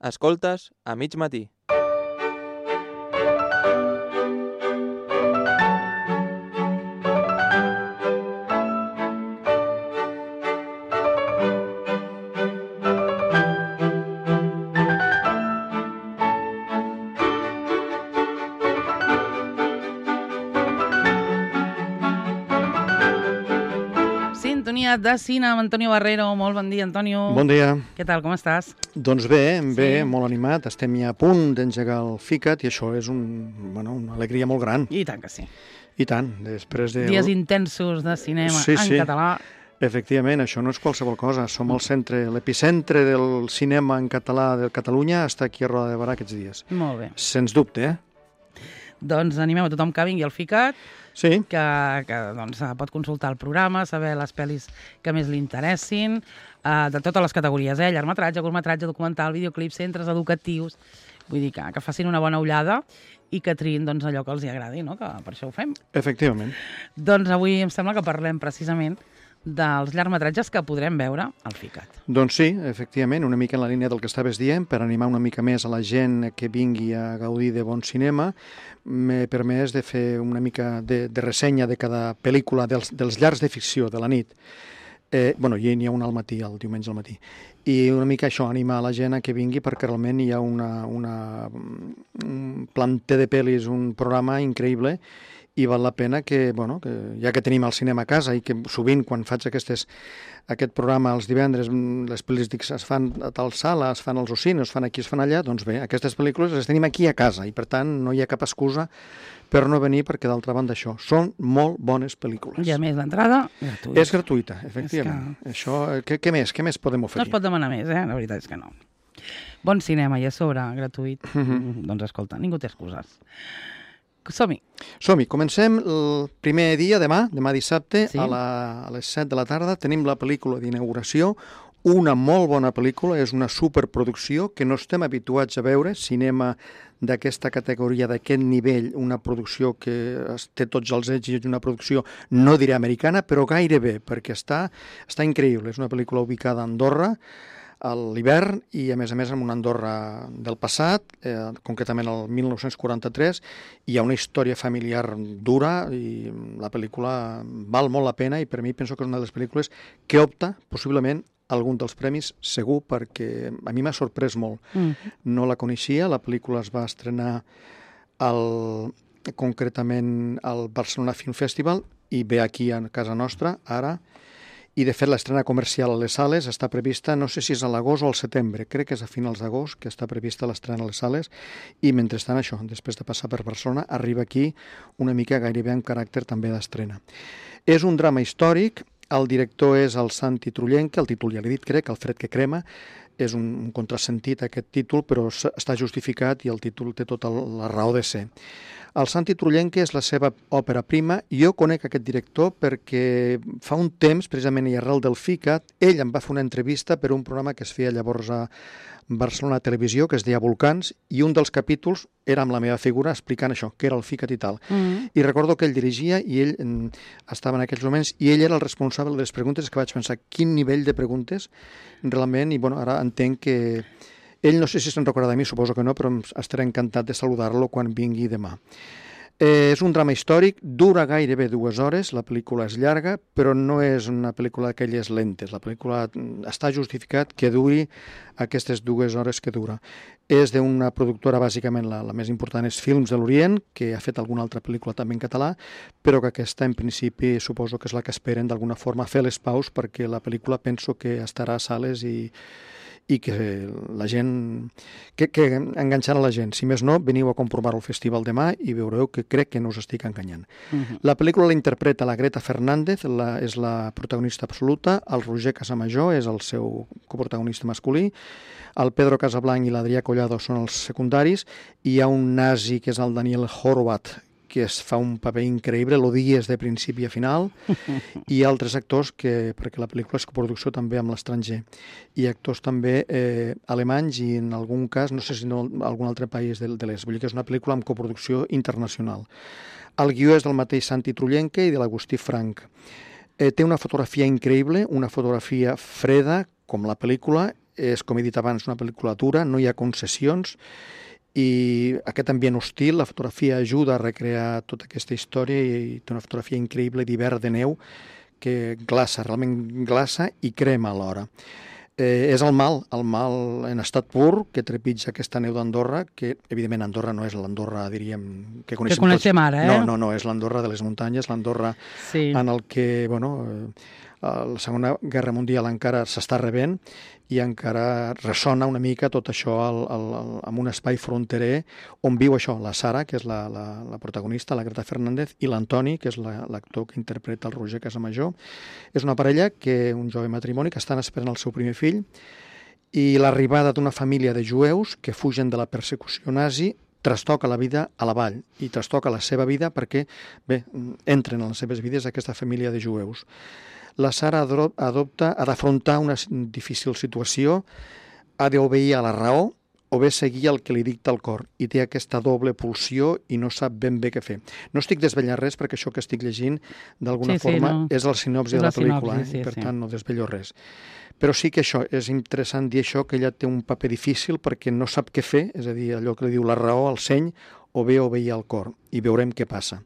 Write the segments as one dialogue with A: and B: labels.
A: Escoltes a mig matí.
B: Sintonia de cine amb Antonio Barrero. Molt bon dia, Antonio.
C: Bon dia.
B: Què tal, com estàs?
C: Doncs bé, molt animat. Estem ja a punt d'engegar el FICAT i això és una alegria molt gran.
B: I tant que sí.
C: I tant. Després de...
B: Dies intensos de cinema en català.
C: Efectivament, això no és qualsevol cosa. Som el centre, l'epicentre del cinema en català de Catalunya està aquí a Roda de Barà aquests dies.
B: Molt bé.
C: Sens dubte,
B: Doncs animem a tothom que vingui al FICAT,
C: Sí.
B: que pot consultar el programa, saber les pel·lis que més li interessin, de totes les categories, llargmetratge, curtmetratge, documental, videoclip, centres educatius. Vull dir que facin una bona ullada i que triïn allò que els agradi, no? Que per això ho fem.
C: Efectivament.
B: Doncs avui em sembla que parlem precisament dels llargmetratges que podrem veure al FICAT.
C: Doncs sí, efectivament, una mica en la línia del que estaves dient, per animar una mica més a la gent que vingui a gaudir de bon cinema, m'he permès de fer una mica de ressenya de cada pel·lícula dels llargs de ficció de la nit. I n'hi ha una al matí, el diumenge al matí. I una mica això, animar la gent a que vingui perquè realment hi ha un planter de pel·lis, un programa increïble i val la pena que ja que tenim el cinema a casa i que sovint quan faig aquest programa els divendres, les pel·lis es fan a tal sala, es fan als ocines, es fan aquí, es fan allà, doncs bé, aquestes pel·lícules les tenim aquí a casa i per tant no hi ha cap excusa per no venir perquè d'altra banda això, són molt bones pel·lícules.
B: I a més l'entrada gratuïta.
C: És gratuïta, efectivament. Això, què més podem oferir?
B: No es pot demanar més, la veritat és que no. Bon cinema i a sobre gratuït, doncs escolta, ningú té excuses. Som-hi.
C: Som-hi. Comencem el primer dia, demà dissabte,
B: Sí.
C: a les 7 de la tarda. Tenim la pel·lícula d'inauguració, una molt bona pel·lícula, és una superproducció que no estem habituats a veure, cinema d'aquesta categoria, d'aquest nivell, una producció que té tots els èxits, una producció, no diré americana, però gairebé, perquè està increïble. És una pel·lícula ubicada a Andorra, a l'hivern i, a més, en una Andorra del passat, concretament el 1943, hi ha una història familiar dura i la pel·lícula val molt la pena i per mi penso que és una de les pel·lícules que opta, possiblement, algun dels premis, segur, perquè a mi m'ha sorprès molt. No la coneixia, la pel·lícula es va estrenar concretament al Barcelona Film Festival i ve aquí a casa nostra, ara, i de fet l'estrena comercial a les sales està prevista, no sé si és a l'agost o al setembre, crec que és a finals d'agost que està prevista l'estrena a les sales i mentrestant això, després de passar per Barcelona, arriba aquí una mica gairebé en caràcter també d'estrena. És un drama històric, el director és el Santi Trullenque, el títol ja l'he dit, crec, El fred que crema, és un contrasentit aquest títol, però està justificat i el títol té tota la raó de ser. El Santi Trullenque és la seva òpera prima. Jo conec aquest director perquè fa un temps, precisament i arrel del FICAT, ell em va fer una entrevista per un programa que es feia llavors a Barcelona Televisió, que es deia Volcans, i un dels capítols era amb la meva figura explicant això, que era el FICAT i tal. I recordo que ell dirigia i ell estava en aquells moments i ell era el responsable de les preguntes, que vaig pensar quin nivell de preguntes realment, i ara entenc que ell no sé si se'n recorda de mi, suposo que no, però estaré encantat de saludar-lo quan vingui demà. És un drama històric, dura gairebé 2 hores, la pel·lícula és llarga, però no és una pel·lícula d'aquelles lentes. La pel·lícula està justificat que duri aquestes 2 hores que dura. És d'una productora, bàsicament la més important és Films de l'Orient, que ha fet alguna altra pel·lícula també en català, però que aquesta en principi suposo que és la que esperen d'alguna forma fer les paus perquè la pel·lícula penso que estarà a sales i que la gent, que enganxarà la gent. Si més no, veniu a comprovar el festival demà i veureu que crec que no us estic enganyant. La pel·lícula la interpreta la Greta Fernández, és la protagonista absoluta, el Roger Casamajor és el seu coprotagonista masculí, el Pedro Casablanc i l'Adrià Collado són els secundaris, i hi ha un nazi que és el Daniel Horvath, que es fa un paper increïble, l'odies de principi a final, i altres actors perquè la pel·lícula és coproducció també amb l'estranger, i actors també alemanys i en algun cas, no sé si no algun altre país de l'est, vull dir que és una pel·lícula amb coproducció internacional. El guió és del mateix Santi Trullenque i de l'Agustí Frank. Té una fotografia increïble, una fotografia freda, com la pel·lícula, és, com he dit abans, una pel·lícula dura, no hi ha concessions, i aquest ambient hostil, la fotografia ajuda a recrear tota aquesta història i té una fotografia increïble d'hivern de neu que glaça, realment glaça i crema alhora. És el mal en estat pur que trepitja aquesta neu d'Andorra, que evidentment Andorra no és l'Andorra, diríem, que
B: coneixem
C: tots.
B: ara,
C: No, és l'Andorra de les muntanyes, l'Andorra en el que, la Segona Guerra Mundial encara s'està rebent i encara ressona una mica tot això en un espai fronterer on viu això, la Sara, que és la protagonista, la Greta Fernández, i l'Antoni, que és l'actor que interpreta el Roger Casamajor. És una parella, un jove matrimoni, que estan esperant el seu primer fill, i l'arribada d'una família de jueus que fugen de la persecució nazi trastoca la vida a la vall i trastoca la seva vida perquè, entren a les seves vides aquesta família de jueus. La Sara ha d'afrontar una difícil situació, ha d'obeir a la raó o bé seguir el que li dicta el cor, i té aquesta doble pulsió i no sap ben bé què fer. No estic desvetllant res perquè això que estic llegint d'alguna forma és el sinopsi de la pel·lícula, i per tant no desvello res. Però sí que això, és interessant dir això, que ella té un paper difícil perquè no sap què fer, és a dir, allò que li diu la raó, el seny, o bé obeir al cor, i veurem què passa.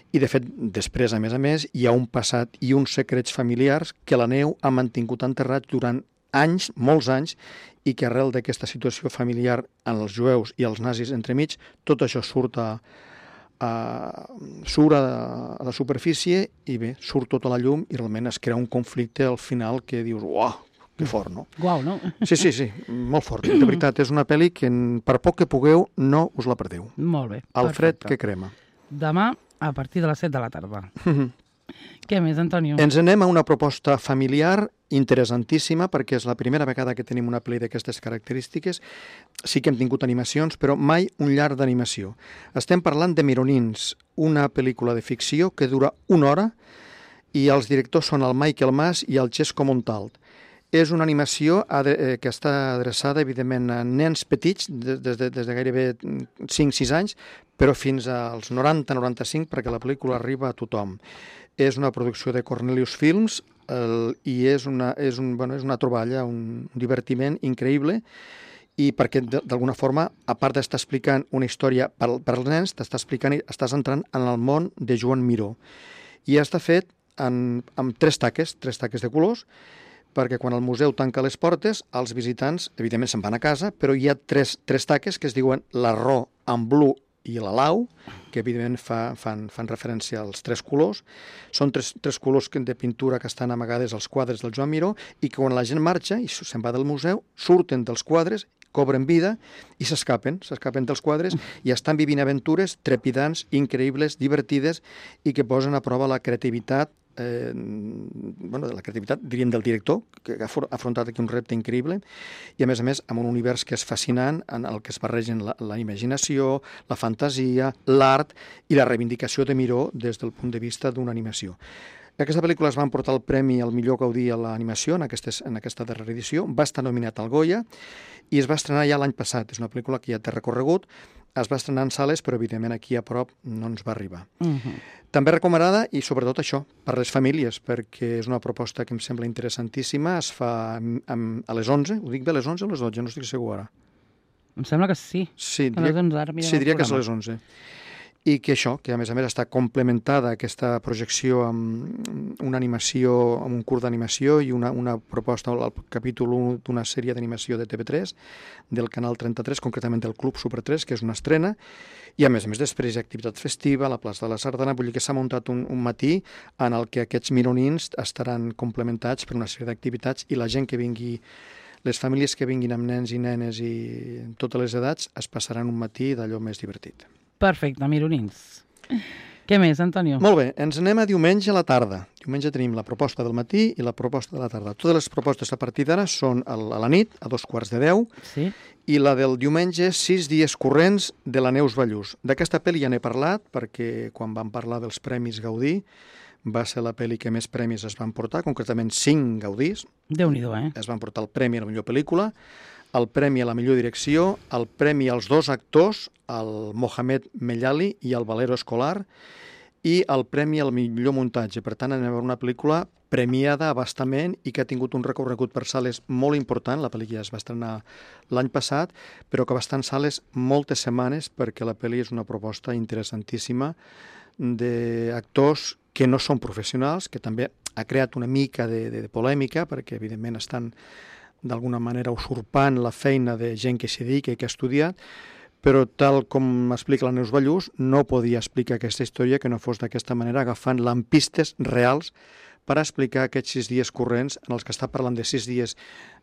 C: I, de fet, després, a més, hi ha un passat i uns secrets familiars que la neu ha mantingut enterrats durant anys, molts anys, i que arrel d'aquesta situació familiar en els jueus i els nazis entremig, tot això surt a la superfície i surt tota la llum i realment es crea un conflicte al final que dius, uau, que fort, no?
B: Guau, no?
C: Sí, molt fort. De veritat, és una pel·li que per poc que pugueu no us la perdeu.
B: Molt bé.
C: El fred que crema.
B: Demà a partir de les 7 de la tarda. Què més, Antonio?
C: Ens anem a una proposta familiar interessantíssima perquè és la primera vegada que tenim una pel·li d'aquestes característiques. Sí que hem tingut animacions, però mai un llarg d'animació. Estem parlant de Mironins, una pel·lícula de ficció que dura 1 hora i els directors són el Michael Mas i el Xesco Montalt. És una animació que està adreçada, evidentment, a nens petits, des de gairebé 5-6 anys, però fins als 90-95, perquè la pel·lícula arriba a tothom. És una producció de Cornelius Films i és una troballa, un divertiment increïble, i perquè, d'alguna forma, a part d'estar explicant una història per als nens, estàs entrant en el món de Joan Miró. I està fet amb 3 taques de colors, perquè quan el museu tanca les portes, els visitants, evidentment, se'n van a casa, però hi ha 3 taques que es diuen l'Arró, en blu i la Lau, que evidentment fan referència als 3 colors. Són 3 colors de pintura que estan amagades als quadres del Joan Miró i que quan la gent marxa i se'n va del museu, surten dels quadres, cobren vida i s'escapen dels quadres i estan vivint aventures trepidants, increïbles, divertides i que posen a prova la creativitat diríem, del director, que ha afrontat aquí un repte increïble, i a més amb un univers que és fascinant, en el que es barregen la imaginació, la fantasia, l'art i la reivindicació de Miró des del punt de vista d'una animació. Aquesta pel·lícula es va emportar el premi al millor gaudí a l'animació en aquesta darrera edició, va estar nominat al Goya i es va estrenar ja l'any passat. És una pel·lícula que ja té recorregut, es va estrenar en sales, però evidentment aquí a prop no ens va arribar. També recomanada, i sobretot això, per les famílies, perquè és una proposta que em sembla interessantíssima, es fa a les 11, ho dic bé, a les 11 o a les 12, no estic segur ara.
B: Em sembla que sí.
C: Sí,
B: a les 11, ara mirem
C: diria que és a les 11. I que això, que a més està complementada aquesta projecció amb una animació, amb un curt d'animació i una proposta al capítol 1 d'una sèrie d'animació de TV3, del canal 33, concretament del Club Super 3, que és una estrena, i a més després hi ha activitat festiva a la plaça de la Sardana, vull dir que s'ha muntat un matí en el que aquests mironins estaran complementats per una sèrie d'activitats i la gent que vingui, les famílies que vinguin amb nens i nenes i totes les edats es passaran un matí d'allò més divertit.
B: Perfecte, mironins. Què més, Antonio?
C: Molt bé, ens anem a diumenge a la tarda. Diumenge tenim la proposta del matí i la proposta de la tarda. Totes les propostes a partir d'ara són a la nit, a 2:45,
B: sí.
C: I la del diumenge, 6 dies corrents de la Neus Ballús. D'aquesta pel·li ja n'he parlat, perquè quan vam parlar dels Premis Gaudí, va ser la pel·li que més premis es van portar, concretament 5 Gaudís.
B: Déu-n'hi-do,
C: Es van portar el premi a la millor pel·lícula, el premi a la millor direcció, el premi als 2 actors, el Mohamed Mellali i el Valero Escolar, i el premi al millor muntatge. Per tant, anem a veure una pel·lícula premiada abastament i que ha tingut un recorregut per sales molt important. La pel·li ja es va estrenar l'any passat, però que va estar en sales moltes setmanes perquè la pel·li és una proposta interessantíssima d'actors que no són professionals, que també ha creat una mica de polèmica perquè evidentment estan d'alguna manera usurpant la feina de gent que s'hi dedica i que ha estudiat, però tal com explica la Neus Ballús, no podia explicar aquesta història que no fos d'aquesta manera, agafant lampistes reals per explicar aquests 6 dies corrents en els que està parlant de 6 dies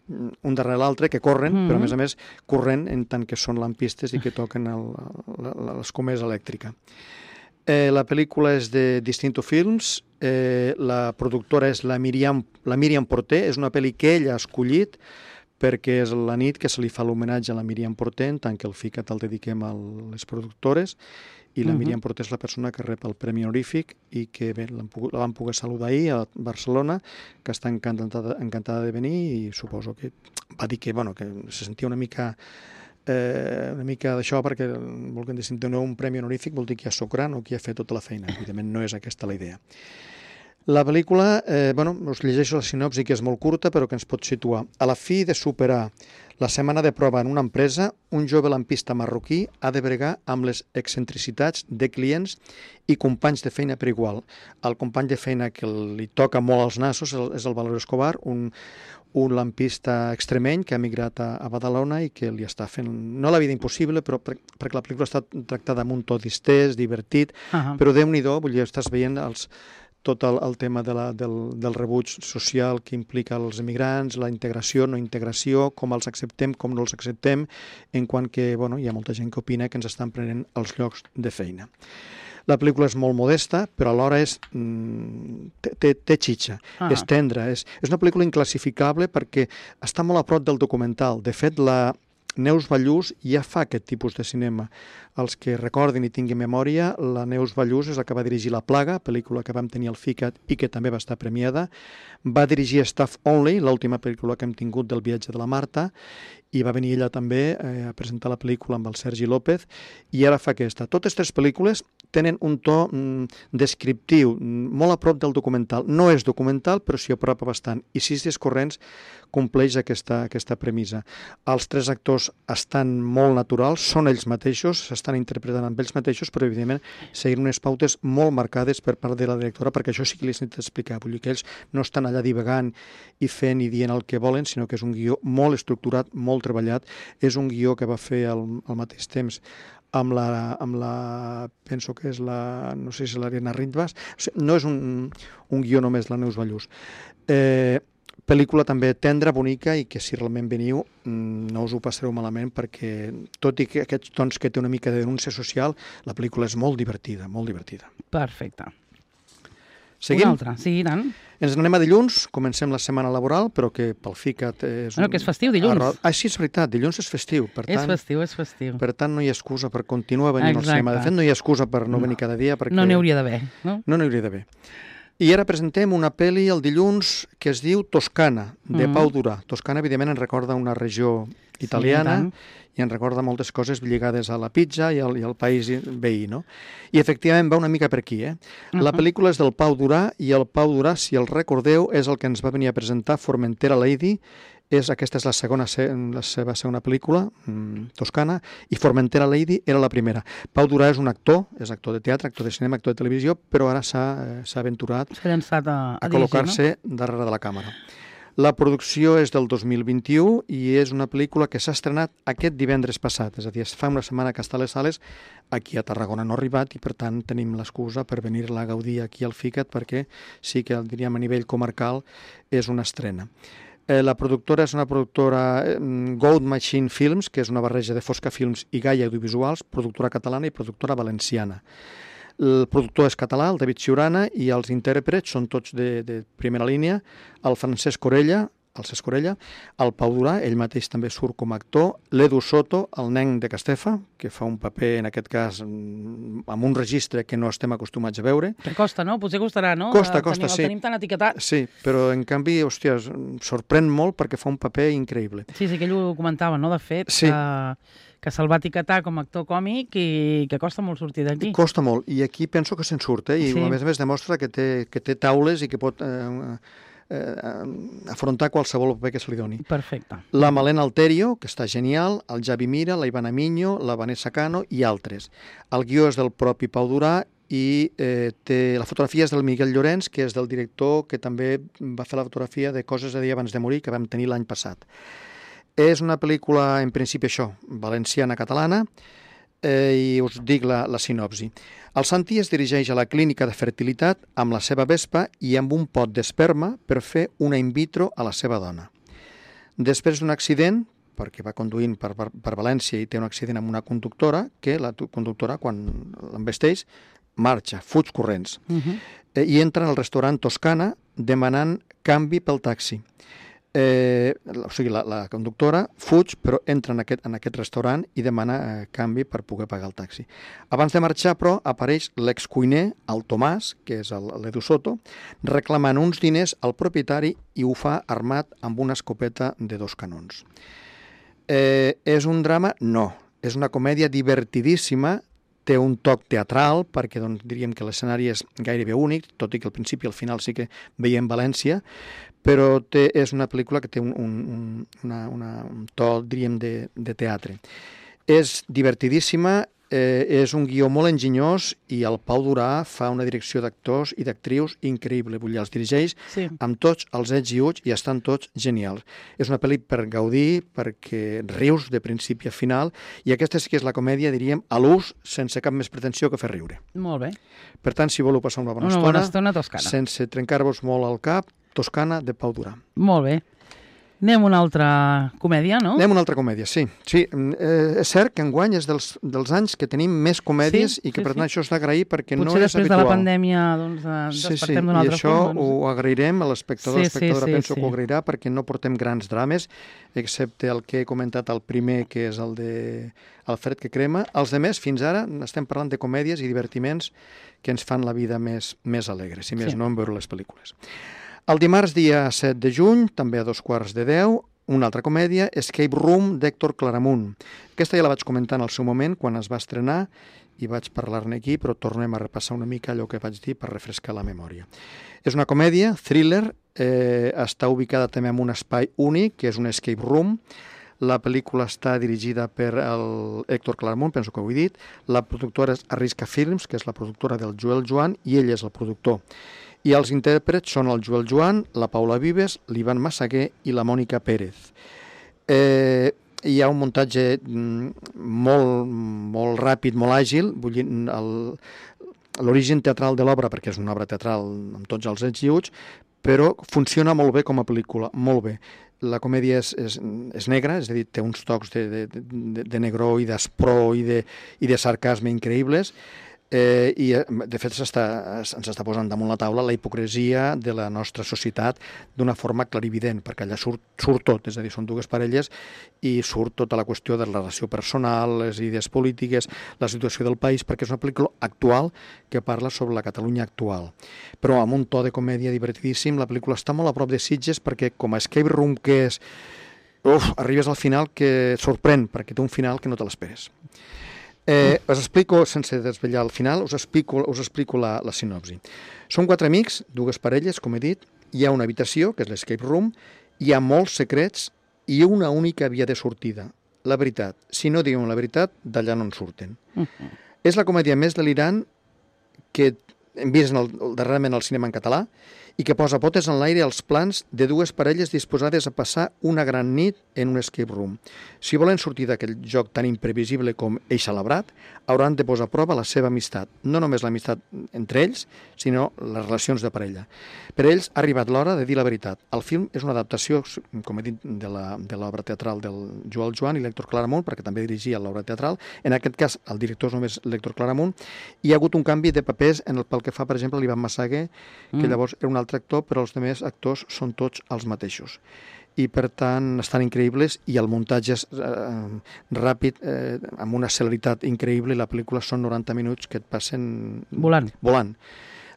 C: un darrere l'altre, que corren, però a més corrent en tant que són lampistes i que toquen l'escomesa elèctrica. La pel·lícula és de Distinto Films, la productora és la Míriam Porter, és una pel·li que ella ha escollit perquè és la nit que se li fa l'homenatge a la Míriam Porter, en tant que el FICAT el dediquem a les productores, i la Míriam Porter és la persona que rep el Premi Honorífic i que bé, la vam poder saludar ahir a Barcelona, que està encantada de venir i suposo que va dir que se sentia una mica d'això perquè volguem dir, si doneu un Premi Honorífic vol dir que ja soc gran o que ja he fet tota la feina. Evidentment no és aquesta la idea. La pel·lícula, us llegeixo la sinopsi, que és molt curta, però que ens pot situar. A la fi de superar la setmana de prova en una empresa, un jove lampista marroquí ha de bregar amb les excentricitats de clients i companys de feina per igual. El company de feina que li toca molt als nassos és el Valero Escobar, un lampista extremeny que ha emigrat a Badalona i que li està fent, no la vida impossible, però perquè la pel·lícula està tractada amb un to distès, divertit, però Déu-n'hi-do, vull dir, estàs veient tot el tema del rebuig social que implica els emigrants, la integració, no integració, com els acceptem, com no els acceptem, en quant que hi ha molta gent que opina que ens estan prenent els llocs de feina. La pel·lícula és molt modesta, però alhora té xitxa, és tendra, és una pel·lícula inclassificable perquè està molt a prop del documental. De fet, la Neus Ballús ja fa aquest tipus de cinema. Els que recordin i tinguin memòria, la Neus Ballús és la que va dirigir La Plaga, pel·lícula que vam tenir al FICAT i que també va estar premiada. Va dirigir Staff Only, l'última pel·lícula que hem tingut del viatge de la Marta, i va venir ella també a presentar la pel·lícula amb el Sergi López, i ara fa aquesta. Totes 3 pel·lícules tenen un to descriptiu, molt a prop del documental. No és documental, però s'hi apropa bastant. I 6 dies corrents compleix aquesta premissa. Els 3 actors estan molt naturals, són ells mateixos, s'estan interpretant amb ells mateixos, però evidentment seguint unes pautes molt marcades per part de la directora, perquè això sí que li he d'explicar. Vull dir que ells no estan allà divagant i fent i dient el que volen, sinó que és un guió molt estructurat, molt treballat. És un guió que va fer al mateix temps amb la penso que és no sé si l'Ariadna Rindbas. O sigui, no és un guió només la Neus Ballús. Pel·lícula també tendra, bonica, i que si realment veniu no us ho passareu malament perquè, tot i que aquests tons que té una mica de denúncia social, la pel·lícula és molt divertida, molt divertida.
B: Perfecte.
C: Seguim?
B: Una altra, sí, tant.
C: Ens n'anem a dilluns, comencem la setmana laboral, però que pel FICAT és...
B: Que és festiu, dilluns.
C: Sí, és veritat, dilluns és festiu.
B: És festiu.
C: Per tant, no hi ha excusa per continuar venint al cinema. De fet, no hi ha excusa per no venir cada dia perquè...
B: No n'hi hauria d'haver, no?
C: No n'hi hauria d'haver. I ara presentem una pel·li el dilluns que es diu Toscana, de Pau Durà. Toscana, evidentment, ens recorda una regió italiana i ens recorda moltes coses lligades a la pizza i al país veí, no? I efectivament va una mica per aquí, La pel·lícula és del Pau Durà i el Pau Durà, si el recordeu, és el que ens va venir a presentar Formentera Lady. Aquesta és la seva segona pel·lícula, Toscana, i Formentera Lady era la primera. Pau Durà és un actor, és actor de teatre, actor de cinema, actor de televisió, però ara s'ha aventurat
B: a
C: col·locar-se darrere de la càmera. La producció és del 2021 i és una pel·lícula que s'ha estrenat aquest divendres passat, és a dir, fa una setmana que està a les sales, aquí a Tarragona no ha arribat i per tant tenim l'excusa per venir-la a gaudir aquí al FICAT perquè sí que diríem a nivell comarcal és una estrena. La productora és una productora Gold Machine Films, que és una barreja de Fosca Films i Gaia Audiovisuals, productora catalana i productora valenciana. El productor és català, el David Ciurana, i els intèrprets són tots de primera línia, el Francesc Corella, el Pau Durà, ell mateix també surt com a actor, l'Edu Soto, el nen de Castefa, que fa un paper, en aquest cas, amb un registre que no estem acostumats a veure.
B: Que costa, no? Potser costarà, no?
C: Costa,
B: sí. El tenim tan etiquetat.
C: Sí, però en canvi, hòstia, sorprèn molt perquè fa un paper increïble.
B: Sí, que ell ho comentava, no? De fet,
C: sí.
B: que se'l va etiquetar com a actor còmic i que costa molt sortir d'aquí.
C: Costa molt, i aquí penso que se'n surt, i
B: Sí.
C: a més demostra que té taules i que pot afrontar qualsevol paper que se li doni.
B: Perfecte.
C: La Malena Alterio, que està genial, el Javi Mira, la Ivana Miño, la Vanessa Cano i altres. El guió és del propi Pau Durà i la fotografia és del Miguel Llorenç, que és del director que també va fer la fotografia de Coses a dir abans de morir, que vam tenir l'any passat. És una pel·lícula, en principi això, valenciana-catalana, i us dic la sinopsi. El Santi es dirigeix a la clínica de fertilitat amb la seva vespa i amb un pot d'esperma per fer una in vitro a la seva dona. Després d'un accident, perquè va conduint per València i té un accident amb una conductora, que la conductora, quan l'envesteix, marxa, fuig corrents, i entra al restaurant Toscana demanant canvi pel taxi. O sigui, la conductora fuig, però entra en aquest restaurant i demana canvi per poder pagar el taxi. Abans de marxar, però, apareix l'excuiner, el Tomàs, que és l'Edu Soto, reclamant uns diners al propietari i ho fa armat amb una escopeta de 2 canons. És un drama? No. És una comèdia divertidíssima, té un toc teatral, perquè diríem que l'escenari és gairebé únic, tot i que al principi i al final sí que veiem València, però és una pel·lícula que té un to, diríem, de teatre. És divertidíssima, és un guió molt enginyós i el Pau Durà fa una direcció d'actors i d'actrius increïble. Vull dir, els dirigeix amb tots els ets i uts i estan tots genials. És una pel·li per gaudir, perquè rius de principi a final, i aquesta sí que és la comèdia, diríem, a l'ús, sense cap més pretensió que fer riure.
B: Molt bé.
C: Per tant, si voleu passar una bona
B: estona Toscana.
C: Sense trencar-vos molt al cap, Toscana, de Pau Durà.
B: Molt bé. Anem a una altra comèdia, no?
C: Anem a una altra comèdia, sí. És cert que enguany és dels anys que tenim més comèdies i que per tant això és d'agrair perquè no és habitual.
B: Potser després de la pandèmia despertem d'un altre
C: forma. I això ho agrairem a l'espectador, l'espectadora penso que ho agrairà perquè no portem grans drames, excepte el que he comentat el primer, que és el de El fred que crema. Els altres, fins ara, estem parlant de comèdies i divertiments que ens fan la vida més alegre, si més no en veure les pel·lícules. El dimarts, dia 7 de juny, també a 9:45, una altra comèdia, Escape Room, d'Héctor Claramunt. Aquesta ja la vaig comentar en el seu moment, quan es va estrenar, i vaig parlar-ne aquí, però tornem a repassar una mica allò que vaig dir per refrescar la memòria. És una comèdia, thriller, està ubicada també en un espai únic, que és un escape room. La pel·lícula està dirigida per Héctor Claramunt, penso que ho he dit. La productora és Arrisca Films, que és la productora del Joel Joan, i ell és el productor. I els intèrprets són el Joel Joan, la Paula Vives, l'Ivan Massaguer i la Mònica Pérez. Hi ha un muntatge molt ràpid, molt àgil, vull dir, l'origen teatral de l'obra, perquè és una obra teatral amb tots els ets i uts, però funciona molt bé com a pel·lícula, molt bé. La comèdia és negra, és a dir, té uns tocs de negror i d'espró i de sarcasme increïbles, i de fet ens està posant damunt la taula la hipocresia de la nostra societat d'una forma clarivident, perquè allà surt tot, és a dir, són dues parelles i surt tota la qüestió de la relació personal, les idees polítiques, la situació del país, perquè és una pel·lícula actual que parla sobre la Catalunya actual, però amb un to de comèdia divertidíssim. La pel·lícula està molt a prop de Sitges perquè com a escape room que és, arribes al final que et sorprèn, perquè té un final que no te l'esperes. Us explico, sense desvetllar el final, us explico la sinopsi. Són 4 amics, 2 parelles, com he dit, hi ha una habitació, que és l'escape room, hi ha molts secrets i una única via de sortida. La veritat. Si no diuen la veritat, d'allà no en surten. És la comèdia més delirant que hem vist darrerament al cinema en català i que posa potes en l'aire els plans de 2 parelles disposades a passar una gran nit en un escape room. Si volen sortir d'aquell joc tan imprevisible com Eixa Labrat, hauran de posar a prova la seva amistat. No només l'amistat entre ells, sinó les relacions de parella. Per ells ha arribat l'hora de dir la veritat. El film és una adaptació, com he dit, de l'obra teatral del Joel Joan i l'Héctor Claramunt, perquè també dirigia l'obra teatral. En aquest cas, el director és només l'Héctor Claramunt. Hi ha hagut un canvi de papers pel que fa, per exemple, l'Ivan Massaguer, que llavors era un altre actor, però els altres actors són tots els mateixos. I, per tant, estan increïbles i el muntatge és ràpid, amb una celeritat increïble, i la pel·lícula són 90 minuts que et passen volant.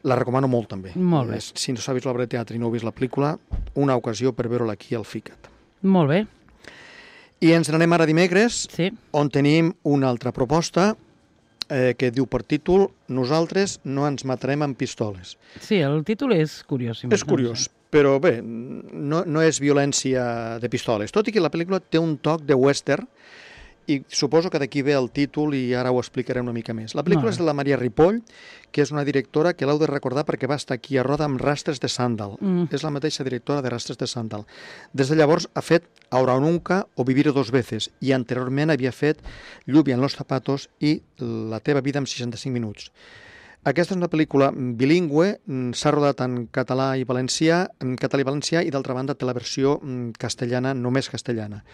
C: La recomano molt, també.
B: Molt bé.
C: Si no sabis l'obra de teatre i no heu vist la pel·lícula, una ocasió per veure-la aquí al FICAT.
B: Molt bé.
C: I ens n'anem ara dimecres,
B: Sí.
C: on tenim una altra proposta que diu per títol Nosaltres no ens matarem amb pistoles.
B: Sí, el títol és curiós.
C: És curiós, però bé, no és violència de pistoles, tot i que la pel·lícula té un toc de western, i suposo que d'aquí ve el títol i ara ho explicaré una mica més. La pel·lícula és de la Maria Ripoll, que és una directora que l'heu de recordar perquè va estar aquí a Roda amb Rastres de Sàndal. És la mateixa directora de Rastres de Sàndal. Des de llavors ha fet Ahora o Nunca o Vivir dos veces i anteriorment havia fet Lluvia en los zapatos i La teva vida en 65 minuts. Aquesta és una pel·lícula bilingüe, s'ha rodat en català i valencià, i d'altra banda té la versió castellana, només castellana.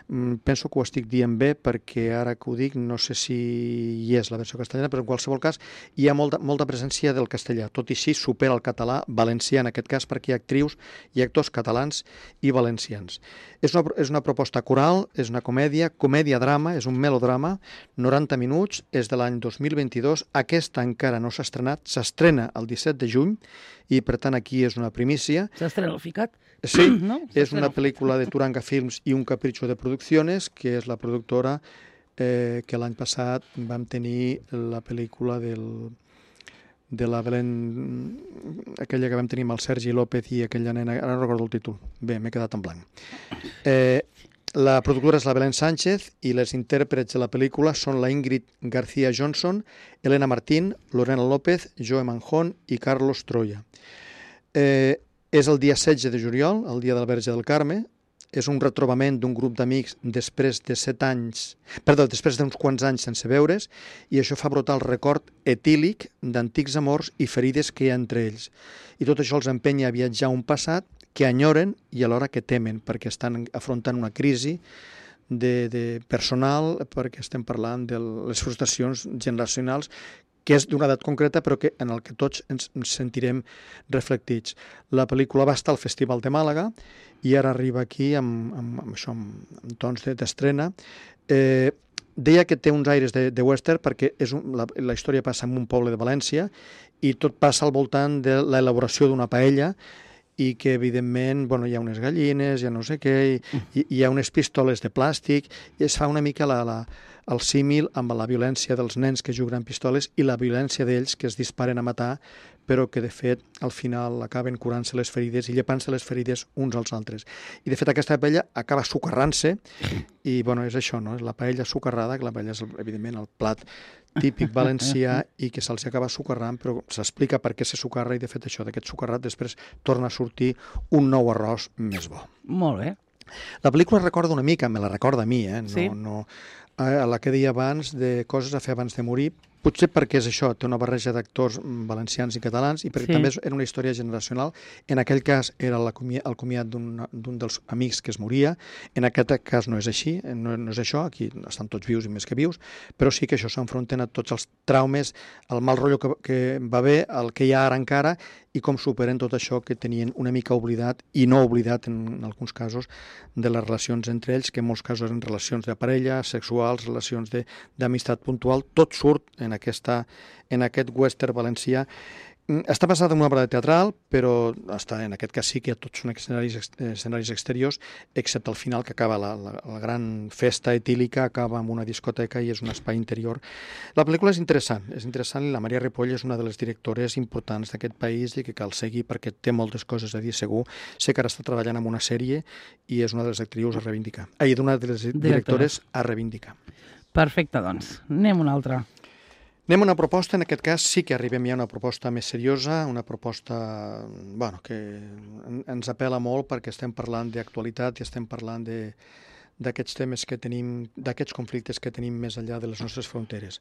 C: Penso que ho estic dient bé perquè ara que ho dic no sé si hi és la versió castellana, però en qualsevol cas hi ha molta presència del castellà, tot i així supera el català valencià en aquest cas perquè hi ha actrius i actors catalans i valencians. És una proposta coral, és una comèdia-drama, és un melodrama, 90 minuts, és de l'any 2022, aquesta encara no s'ha estrenat, s'estrena el 17 de juny i per tant aquí és una primícia.
B: S'estrena el ficat?
C: Sí, no? És una pel·lícula de Turanga Films i Un Capricho de Producciones, que és la productora que l'any passat vam tenir la pel·lícula de la Belén, aquella que vam tenir amb el Sergi López i aquella nena, ara no recordo el títol, bé, m'he quedat en blanc. La productora és la Belén Sánchez i les intèrprets de la pel·lícula són la Ingrid García Johnson, Elena Martín, Lorena López, Joe Manjón i Carlos Troya. És el dia 16 de juliol, el dia del Verge del Carme. És un retrobament d'un grup d'amics després d'uns quants anys sense veure's, i això fa brotar el record etílic d'antics amors i ferides que hi ha entre ells. I tot això els empenya a viatjar a un passat que enyoren i alhora que temen, perquè estan afrontant una crisi de personal, perquè estem parlant de les frustracions generacionals que és d'una edat concreta però que en el que tots ens sentirem reflectits. La pel·lícula va estar al Festival de Màlaga i ara arriba aquí amb tons d'estrena. Deia que té uns aires de western perquè la història passa en un poble de València i tot passa al voltant de l'elaboració d'una paella i que, evidentment, hi ha unes gallines, hi ha no sé què, i hi ha unes pistoles de plàstic, i es fa una mica el símil amb la violència dels nens que juguen amb pistoles i la violència d'ells que es disparen a matar, però que, de fet, al final acaben curant-se les ferides i llepant-se les ferides uns als altres. I, de fet, aquesta paella acaba sucarrant-se i, és això, no? És la paella sucarrada, que la paella és, evidentment, el plat típic valencià i que se'ls acaba sucarrant, però s'explica per què se sucarra i, de fet, això, d'aquest sucarrat després torna a sortir un nou arròs més bo.
B: Molt bé.
C: La pel·lícula recorda una mica, me la recorda a mi,
B: Sí.
C: A la que deia abans de coses a fer abans de morir, potser perquè és això, té una barreja d'actors valencians i catalans i perquè també era una història generacional. En aquell cas era el comiat d'un dels amics que es moria, en aquest cas no és així, no és això, aquí estan tots vius i més que vius, però sí que això s'enfronten a tots els traumes, el mal rotllo que va haver, el que hi ha ara encara i com superen tot això que tenien una mica oblidat i no oblidat en alguns casos de les relacions entre ells, que en molts casos eren relacions de parella, sexuals, relacions d'amistat puntual, tot surt en aquest western valencià. Està basada en una obra teatral, però en aquest cas sí que tots són escenaris exteriors, excepte al final, que acaba la gran festa etílica, acaba amb una discoteca i és un espai interior. La pel·lícula és interessant i la Maria Ripoll és una de les directores importants d'aquest país i que cal seguir perquè té moltes coses a dir segur. Sé que ara està treballant en una sèrie i és una de les actrius a reivindicar. D'una de les directores a reivindicar.
B: Perfecte, doncs. Anem una altra.
C: Anem a una proposta, en aquest cas sí que arribem ja a una proposta més seriosa, una proposta que ens apela molt perquè estem parlant d'actualitat i estem parlant d'aquests temes que tenim, d'aquests conflictes que tenim més enllà de les nostres fronteres.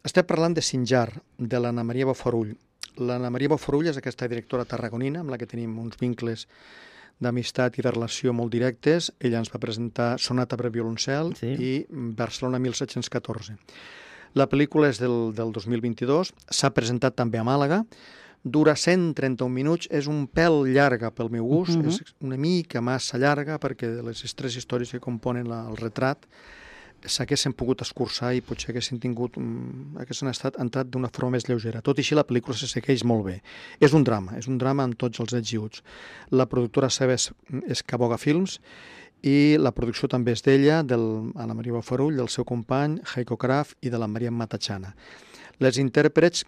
C: Estem parlant de Sinjar, de l'Anna Maria Bofarull. L'Anna Maria Bofarull és aquesta directora tarragonina amb la que tenim uns vincles d'amistat i de relació molt directes. Ella ens va presentar Sonata per violoncel i Barcelona 1714. La pel·lícula és del 2022, s'ha presentat també a Màlaga, dura 131 minuts, és un pèl llarga pel meu gust, és una mica massa llarga perquè de les tres històries que componen el retrat s'haguessin pogut escurçar i potser haguessin entrat d'una forma més lleugera. Tot i així la pel·lícula se segueix molt bé. És un drama amb tots els ets i uts. La productora seva és Caboga Films i la producció també és d'ella, Anna Maria Bofarull, del seu company, Heiko Kraft, i de la Maria Matachana. Els intèrprets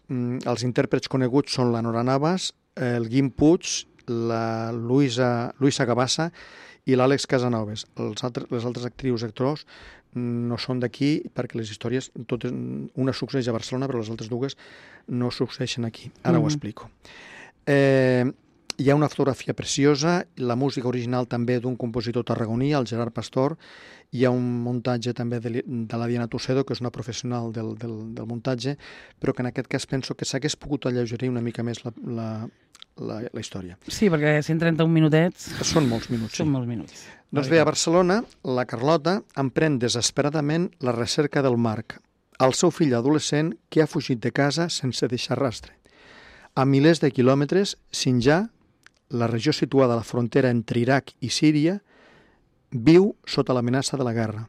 C: coneguts són la Nora Navas, el Guim Puig, la Luisa Gabassa i l'Àlex Casanovas. Les altres actrius i actors no són d'aquí perquè les històries, totes, una succeeix a Barcelona però les altres dues no succeeixen aquí. Ara ho explico. Hi ha una fotografia preciosa, la música original també d'un compositor tarragoní, el Gerard Pastor. Hi ha un muntatge també de la Diana Tocedo, que és una professional del muntatge, però que en aquest cas penso que s'hagués pogut alleugerir una mica més la història.
B: Sí, perquè 131 minutets...
C: Són molts minuts, sí.
B: Són molts minuts.
C: Doncs bé, a Barcelona, la Carlota emprèn desesperadament la recerca del Marc, el seu fill adolescent que ha fugit de casa sense deixar rastre. A milers de quilòmetres, Sinjar, la regió situada a la frontera entre Iraq i Síria, viu sota l'amenaça de la guerra.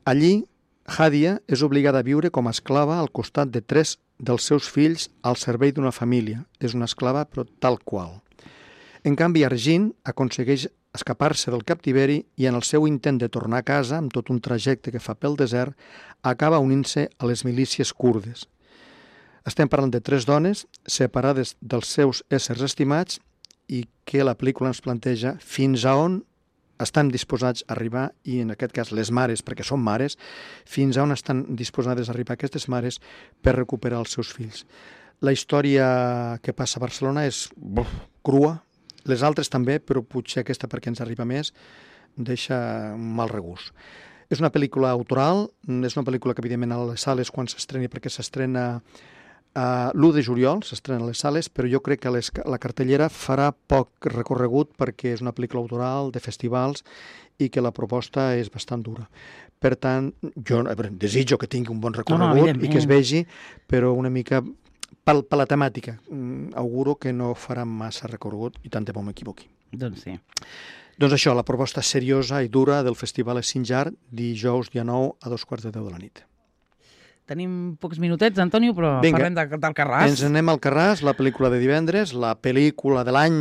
C: Allí, Hadia és obligada a viure com a esclava al costat de 3 dels seus fills al servei d'una família. És una esclava, però tal qual. En canvi, Argin aconsegueix escapar-se del captiveri i en el seu intent de tornar a casa, amb tot un trajecte que fa pel desert, acaba unint-se a les milícies kurdes. Estem parlant de 3 dones separades dels seus éssers estimats i que la pel·lícula ens planteja fins a on estan disposats a arribar, i en aquest cas les mares, perquè són mares, fins a on estan disposades a arribar aquestes mares per recuperar els seus fills. La història que passa a Barcelona és crua, les altres també, però potser aquesta perquè ens arriba més, deixa un mal regust. És una pel·lícula autoral, és una pel·lícula que evidentment a les sales quan s'estreni, perquè s'estrena l'1 de juliol, s'estrena a les sales, però jo crec que la cartellera farà poc recorregut perquè és una pel·lícula autoral de festivals i que la proposta és bastant dura. Per tant, jo desitjo que tingui un bon recorregut i que es vegi, però una mica per la temàtica. Auguro que no farà massa recorregut i tant de bo m'equivoqui.
B: Doncs sí.
C: Doncs això, la proposta seriosa i dura del Festival Sinjar, dijous dia 9 a 2:15 de la nit.
B: Tenim pocs minutets, Antonio, però parlem del Carràs.
C: Ens anem al Carràs, la pel·lícula de divendres, la pel·lícula de l'any,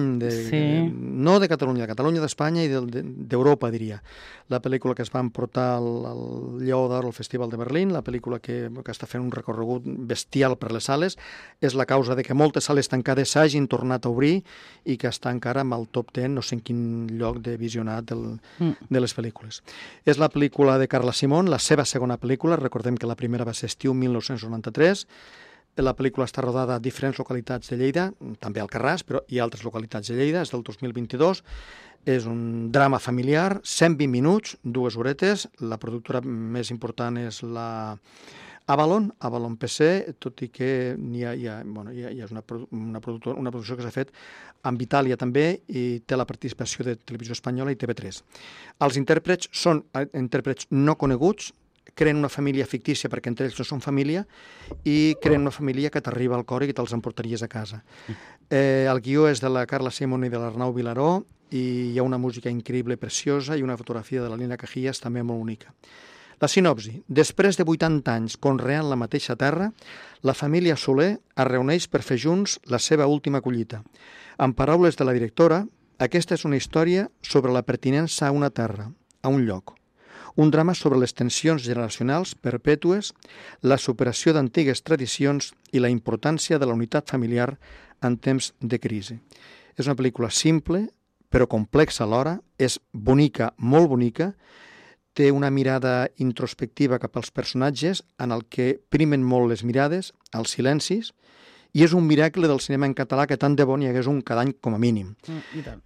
C: no de Catalunya, d'Espanya i d'Europa, diria. La pel·lícula que es va emportar el Lleó d'Or al Festival de Berlín, la pel·lícula que està fent un recorregut bestial per les sales, és la causa de que moltes sales tancades s'hagin tornat a obrir i que està encara amb el top 10, no sé en quin lloc de visionat de les pel·lícules. És la pel·lícula de Carla Simón, la seva segona pel·lícula, recordem que la primera va ser Estiu 1993, la pel·lícula està rodada a diferents localitats de Lleida, també al Carràs, però hi ha altres localitats de Lleida, és del 2022, és un drama familiar, 120 minuts, 2 horetes, la productora més important és la Avalon PC, tot i que hi ha una producció que s'ha fet amb Itàlia també i té la participació de Televisió Espanyola i TV3. Els intèrprets són intèrprets no coneguts, creen una família fictícia perquè entre ells no són família i creen una família que t'arriba al cor i que te'ls emportaries a casa. El guió és de la Carla Simón i de l'Arnau Vilaró i hi ha una música increïble, preciosa i una fotografia de la Lina Cajías també molt única. La sinopsi. Després de 80 anys conreant la mateixa terra, la família Soler es reuneix per fer junts la seva última collita. En paraules de la directora, aquesta és una història sobre la pertinença a una terra, a un lloc. Un drama sobre les tensions generacionals perpètues, la superació d'antigues tradicions i la importància de la unitat familiar en temps de crisi. És una pel·lícula simple, però complexa alhora, és bonica, molt bonica, té una mirada introspectiva cap als personatges en el que primen molt les mirades, els silencis, i és un miracle del cinema en català que tant de bo n'hi hagués un cada any com a mínim.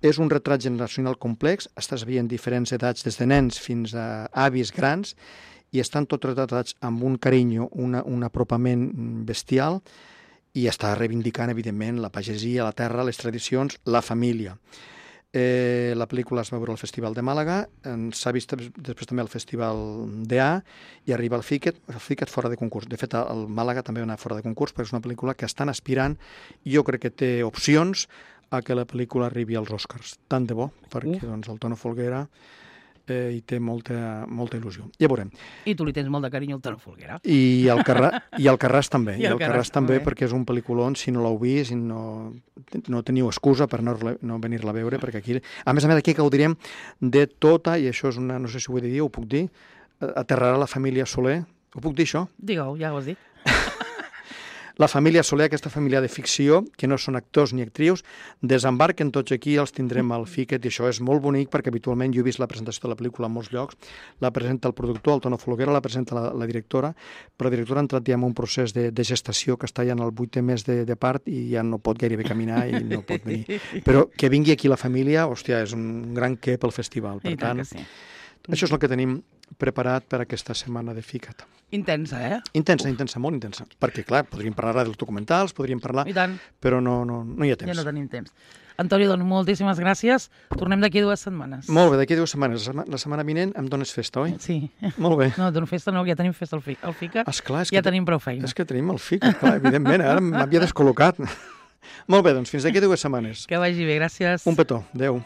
C: És un retrat generacional complex, estàs veient diferents edats des de nens fins a avis grans i estan tots retratats amb un carinyo, un apropament bestial i està reivindicant, evidentment, la pagesia, la terra, les tradicions, la família. La pel·lícula es va veure al Festival de Màlaga, s'ha vist després també al Festival d'EA i arriba al FICET fora de concurs. De fet, el Màlaga també va anar fora de concurs perquè és una pel·lícula que estan aspirant i jo crec que té opcions a que la pel·lícula arribi als Oscars. Tant de bo, perquè el Tono Folguera i té molta il·lusió. Ja veurem.
B: I tu li tens molt de carinyo al Toni Folguera.
C: I el Carràs també.
B: I el Carràs
C: també,
B: també.
C: perquè és un pel·lículon, si no l'heu vist, i no teniu excusa per no venir-la a veure, perquè aquí, a més, aquí gaudirem de tota, i això és una, no sé si ho he de dir, ho puc dir, aterrarà la família Soler. Ho puc dir, això?
B: Digue-ho, ja ho has dit.
C: La família Soler, aquesta família de ficció, que no són actors ni actrius, desembarquen tots aquí, els tindrem al Fiquet, i això és molt bonic, perquè habitualment jo he vist la presentació de la pel·lícula en molts llocs, la presenta el productor, el Toni Folguera, la presenta la directora, però la directora ha entrat ja en un procés de gestació que està ja en el 8è mes de part i ja no pot gairebé caminar i no pot venir. Però que vingui aquí la família, hòstia, és un gran què pel festival. Per tant,
B: que sí.
C: Això és el que tenim preparat per aquesta setmana de Fica't.
B: Intensa, eh?
C: Intensa, molt intensa. Perquè, clar, podríem parlar dels documentals, podríem parlar,
B: I tant.
C: però no hi ha temps.
B: Ja no tenim temps. Antonio, doncs moltíssimes gràcies. Tornem d'aquí 2 setmanes.
C: Molt bé, d'aquí 2 setmanes. La setmana vinent em dones festa, oi?
B: Sí.
C: Molt bé.
B: No, dono festa no, ja tenim festa al FICA.
C: Esclar,
B: ja tenim prou feina.
C: És que tenim el FICA, clar, evidentment. Ara m'havia descol·locat. Molt bé, doncs fins d'aquí 2 setmanes.
B: Que vagi bé, gràcies.
C: Un petó. Adéu.